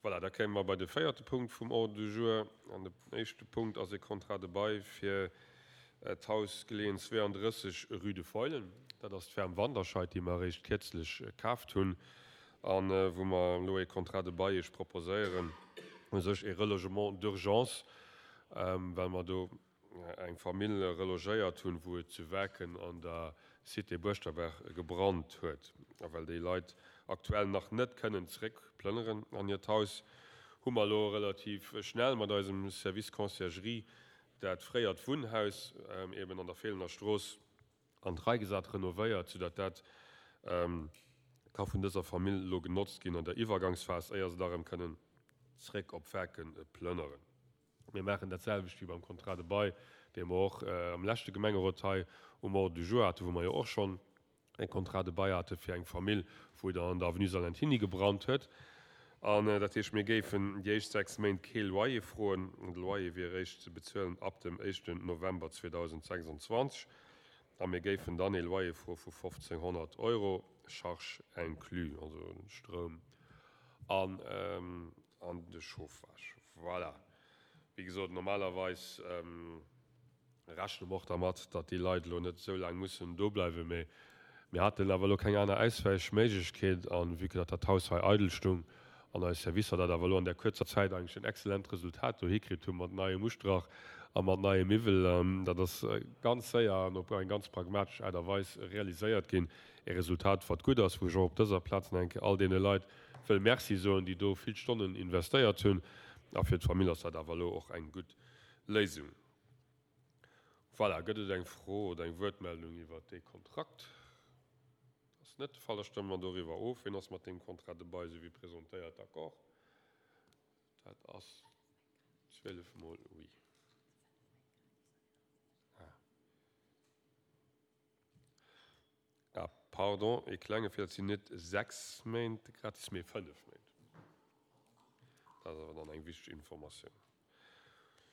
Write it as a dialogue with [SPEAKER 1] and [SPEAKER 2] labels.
[SPEAKER 1] Voilà, da kéime mer bei de véierte Punkt vum Ordre du jour. An den éischte Punkt ass e Contrat de bail fir d'Haus geleeën 32, rue de Feulen. Dat ass d'Ferme Wanderscheid, déi mer eréischt kierzlech kaaft hunn a wou mer elo e Contrat de bail Iech proposéieren, u sech e Relogement d'urgence, well mer do eng Famill relogéiert hunn, wou et zu Waarken an der Cité Buerschterberg gebrannt huet. A well déi Leit aktuell nach net kënnen zeréck plënneren an hiert Haus, hu mer elo relativ schnell mat eisem Service Conciergerie dat fréiert Wunnhaus eben an der Feelener Strooss an d'Rei gesat, renovéiert, soudatt dat ka vun dëser Famill elo genotzt ginn an der Iwwergangsphas, éier se da erëm kënnen zeréck op Waarken plënneren. Mir maachen dat selwecht wéi beim Contrat de bail, dee mer och am leschte Gemengerot hei um Ordre du jour haten, wou mer jo och schonn e Contrat de bail hate fir eng Famill, wou et an der Avenue Salentiny gebrannt huet. An dat heescht, mir géifen déi éischt 6 Méint kee Loyer froen. De Loyer wier eréischt ze bezuelen ab dem éischten November 2026. A mir géifen dann ee Loyer froe vu 1.500 Euro, Charges inclus, also Stroum an An de Chauffage. Voilà. Wéi gesot, normalerweis rechne mer och dermat, datt déi Leit elo net esou laang mussen do bleiwen. Mee mir haten awer elo keng aner Auswäichméiglechkeet. A vue que datt dat Haus hei eidel stung an eis Servicer dat awer elo an där kuerzer Zäit eigentlech en excellent Resultat do hikritt hu mat neiem Ustrach a mat neie Miwwel, dat ass ganz séier an op eng ganz pragmatesch Aart a Weis realiséiert ginn. E Resultat, wat gutt ass, wou ech och op dëser Plaz nach eng Kéier all deene Leit wëll Merci soen, déi do vill Stonnen investéiert hunn. A fir d'Famill ass dat awer elo och eng gutt Léisung. Voilà, gëtt et eng Fro oder eng Wuertmeldung iwwert dee Kontrakt? Dat ass net de Fall. Da stëmme mer doriwwer of. Wien ass mat deem Contrat de bail, esou wéi presentéiert, d'accord? Dat ass 12 mol oui. Ah. Ah, pardon, ee klenge Feeler, et sinn net 6 Méint gratis, mee 5 Méint. Dat ass awer dann eng wichteg Informatioun.